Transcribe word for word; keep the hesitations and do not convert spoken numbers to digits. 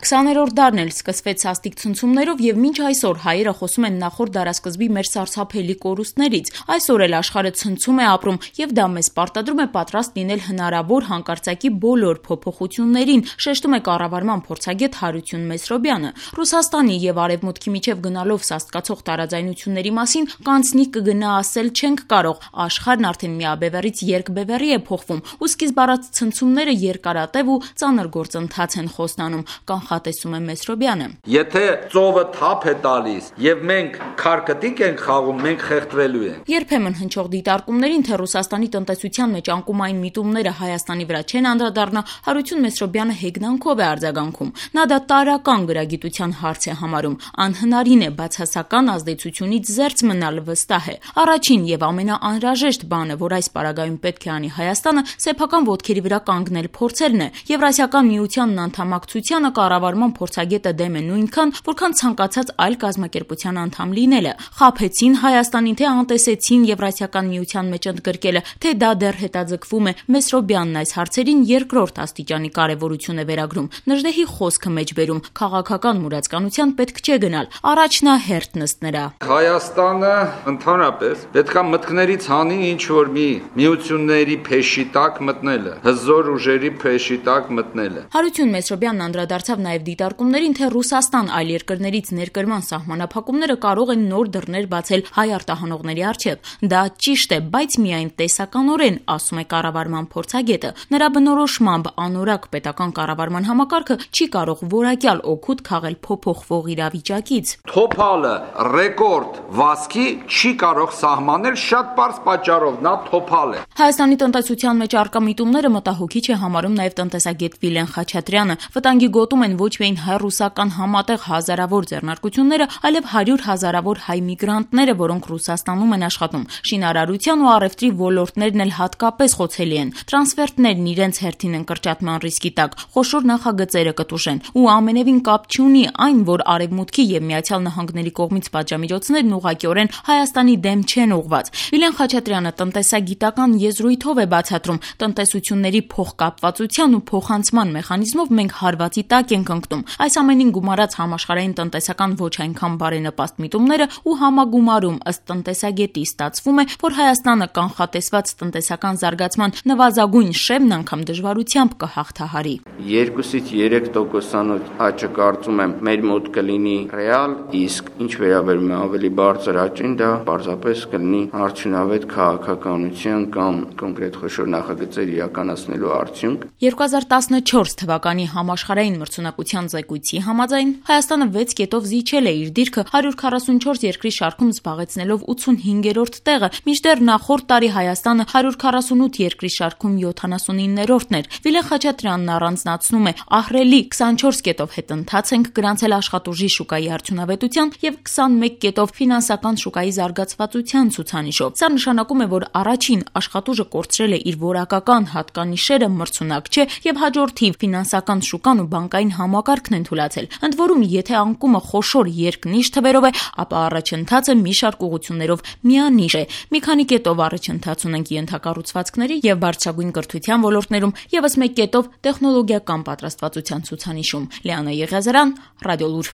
քսաներորդ դարն էլ սկսվեց սաստիկ ցնցումներով եւ մինչ այսօր հայերը խոսում են նախորդ դարասկզբի մեր սարսափելի կորուստներից։ Այսօր էլ աշխարհը ցնցում է ապրում եւ դա մեզ պարտադրում է պատրաստ լինել հնարավոր հանկարծակի բոլոր փոփոխություններին, շեշտում է կառավարման փորձագետ Հարություն Մեսրոբյանը։ Ռուսաստանի եւ Արևմուտքի միջև գնալով սաստկացող տարաձայնությունների մասին կանցնի կգնա ասել չենք կարող։ Աշխարհն արդեն միաբևեռից երկբևեռի է փոխվում ու սկիզբ առած ցնցումները երկարատև ու ծանր գործընթաց են խոստանում, կանխատեսում է Մեսրոբյանը։ Եթե ծովը թափ է տալիս եւ մենք քարկտիկ ենք խաղում, մենք խեղդվելու ենք։ Երբեմն հնչող դիտարկումներին, թե Ռուսաստանի տնտեսության մեջ անկումային միտումները Հայաստանի վրա չեն անդրադառնա, Հարություն Մեսրոբյանը հեգնանքով է արձագանքում։ Նա դա տարրական գրագիտության հարց է համարում։ Անհնարին է բացասական ազդեցությունից զերծ մնալ, վստահ է։ Առաջին եւ ամենաանհրաժեշտ բանը, որ այս պարագայում պետք է անի Հայաստանը, սեփական ոտքերի վրա կանգնել փորձելն է։ Եվրասիական միությանն անդամակցությանը կառավարման փորձագետը դեմ է նույնքան, որքան ցանկացած այլ կազմակերպության անդամ լինելը։ Խաբեցին Հայաստանին, թե անտեսեցին Եվրասիական միության մեջ ընդգրկելը, թե դա դեռ հետաձգվում է։ Մեսրոբյանն այս հարցերին երկրորդ աստիճանի կարևորություն է վերագրում։ Նժդեհի խոսքը մեջ բերում, քաղաքական մուրացկանության պետք չէ գնալ, առաջնահերթ նստներա։ Հայաստանը ընդհանրապես պետքա մտքներից հանի ինչ որ մի միությունների փեշի տակ մտնելը, հզոր ուժերի փեշի տակ մտնելը։ Հարություն Մեսրոբյանն անդրադարձավ նաև դիտարկումներին, թե Ռուսաստան այլ երկրներից ներկրման սահմանափակումները կարող են նոր դռներ բացել հայ արտահանողների առջև։ Դա ճիշտ է, բայց միայն տեսականորեն, ասում է կառավարման փորձագետը։ Նրա բնորոշմամբ անորակ պետական կառավարման համակարգը չի կարող որակյալ օգուտ քաղել փոփոխվող իրավիճակից։ Թոփալը ռեկորդ վազքի չի կարող սահմանել շատ պարզ պատճառով, նա թոփալ է։ Հայաստանի տնտեսության մեջ առկա միտումները մտահոգիչ է համարում նաև տնտեսագետ Վիլեն Խաչատրյանը։ Վտանգի գոտում են ոչ միայն հայ-ռուսական համատեղ հազարավոր ձեռնարկությունները, այլև հարյուր հազարավոր հայ միգրանտները, որոնք Ռուսաստանում են աշխատում։ Շինարարության ու առևտրի ոլորտներն էլ հատկապես խոցելի են։ Տրանսֆերտներն իրենց հերթին են կրճատման ռիսկի տակ, խոշոր նախագծերը կտուժեն։ Ու ամենևին կապ չունի այն, որ Արևմուտքի եւ Միացյալ Նահանգների կողմից պատժամիջոցներն ուղղակիորեն Հայաստանի դեմ չեն ուղղված։ Վիլեն Խաչատրյանը տնտեսագիտական եզրույթով է բացատրում, տնտեսությունների փոխկապվածության ու փոխանցման մեխանիզմով մենք հարվածի տակ ենք ընկնում։ Այս ամենին գումարած համաշխարհային տնտեսական ոչ այնքան բարենպաստ միտումները ու համագումարում ըստ տնտեսագետի ստացվում է, որ Հայաստանը կանխատեսված տնտեսական զարգացման նվազագույն շեմն անգամ դժվարությամբ կհաղթահարի։ երկուսից երեք տոկոսանոց աճը կարծում եմ մեր մոտ կլինի ռեալ, իսկ ինչ վերաբերում է ավելի բարձր աճին, դա պարզապես կլինի արդյունավետ քաղաքականության կամ կոնկրետ խոշոր նախագծեր իրականացնելու արդյունք։ երկու հազար տասնչորս թվականի համաշխարհային մրցունակության զեկույցի համաձայն Հայաստանը վեց կետով զիջել է իր դիրքը հարյուր քառասունչորս երկրի շարքում զբաղեցնելով ութսունհինգերորդ տեղը, մինչդեռ նախորդ տարի Հայաստանը հարյուր քառասունութ երկրի շարքում յոթանասունիններորդն էր։ Վիլեն Խաչատրյանն առանձնացնում է ահռելի քսանչորս կետով հետընթաց ենք գրանցել աշխատուժի շուկայի արդյունավետության եւ քսանմեկ կետով ֆինանսական շուկայի զարգացվածության ցուցանիշով։ Սա նշանակում է, որ առաջին աշխատուժը կորցրել է իր որակական հատկանիշերը, մրցունակ չէ եւ հաջորդիվ ֆինանսական շուկան ու բանկային համակարգն են թուլացել։ Ընդ որում, եթե անկումը խոշոր երկնիշ թվերով է, ապա առաջընթացը մի շարք ուղղություններով միանիշ է։ Մի քանի կետով առաջընթաց ունենք ենթակառուցվածքների եւ բարձրագույն կրթության ոլորտներում, եւս մեկ կետով տեխնոլոգիական պատրաստվածության ցուցանիշում։ Լիանա Եղիազարյան, Ռադիոլուր։